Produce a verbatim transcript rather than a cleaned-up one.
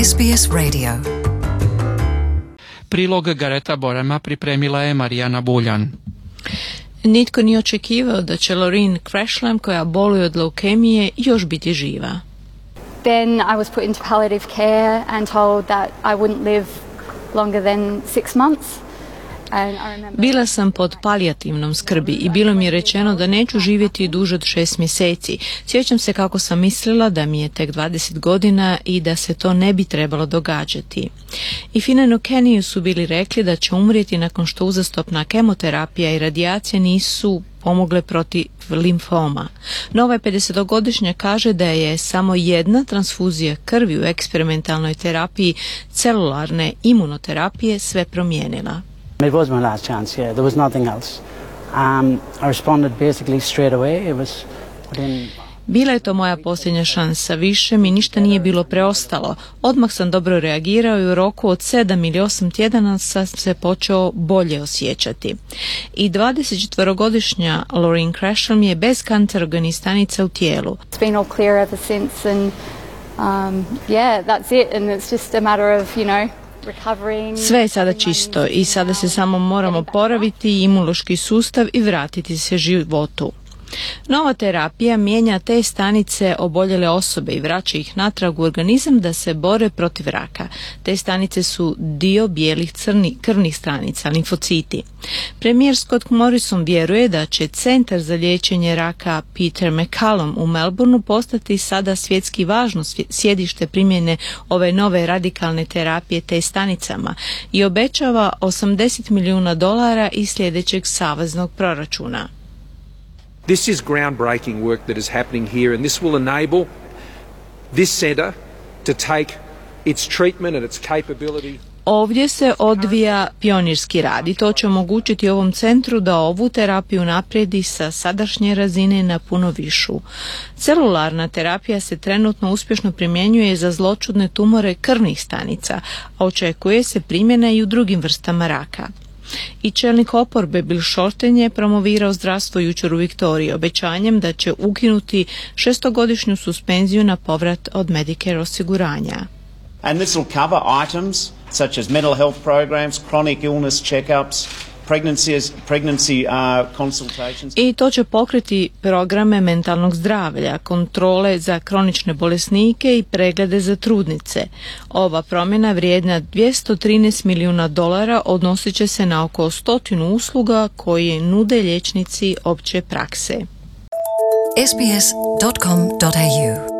S B S Radio. Prilog Gareta Borema pripremila je Marijana Buljan. Nitko nije očekivao da će Loreen Krashlam, koja boluje od leukemije, još biti živa. Then I was put into palliative care and told that I wouldn't live longer than six months. Bila sam pod palijativnom skrbi i bilo mi je rečeno da neću živjeti duže od šest mjeseci. Sjećam se kako sam mislila da mi je tek dvadeset godina i da se to ne bi trebalo događati. I Finanu Keniju su bili rekli da će umrijeti nakon što uzastopna kemoterapija i radijacija nisu pomogle protiv limfoma. No ovaj pedesetogodišnja kaže da je samo jedna transfuzija krvi u eksperimentalnoj terapiji celularne imunoterapije sve promijenila. It was my last chance, yeah. There was nothing else. Um, I responded basically straight away. It was within... Bila je to moja posljednja šansa, više mi ništa nije bilo preostalo. Odmah sam dobro reagirao i u roku od sedam ili osam tjedana sam se počeo bolje osjećati. I dvadesetčetverogodišnja Loreen Krashlam je bez kancerogenih stanica u tijelu. It's been all clear ever since and um, yeah, that's it and it's just a matter of, you know, sve je sada čisto i sada se samo moramo oporaviti imunološki sustav i vratiti se životu. Nova terapija mijenja te stanice oboljele osobe i vraća ih natrag u organizam da se bore protiv raka. Te stanice su dio bijelih crni, krvnih stanica, limfociti. Premijer Scott Morrison vjeruje da će Centar za liječenje raka Peter MacCallum u Melbourneu postati sada svjetski važno sjedište primjene ove nove radikalne terapije te stanicama i obećava osamdeset milijuna dolara iz sljedećeg saveznog proračuna. This is groundbreaking work that is happening here, and this will enable this centre to take its treatment and its capability. Ovdje se odvija pionirski rad i to će omogućiti ovom centru da ovu terapiju naprijedi sa sadašnje razine na puno višu. Celularna terapija se trenutno uspješno primjenjuje za zloćudne tumore krvnih stanica, a očekuje se primjena i u drugim vrstama raka. I čelnik oporbe Bill Shorten je promovirao zdravstvo jučer u Viktoriji obećanjem da će ukinuti šestogodišnju suspenziju na povrat od Medicare osiguranja. And this will cover items such as mental health programs, chronic illness checkups, pregnancy, pregnancy uh, consultations. I to će pokriti programe mentalnog zdravlja, kontrole za kronične bolesnike i preglede za trudnice. Ova promjena vrijedna dvjesto trinaest milijuna dolara odnosit će se na oko stotinu usluga koje nude liječnici opće prakse. S B S dot com dot A U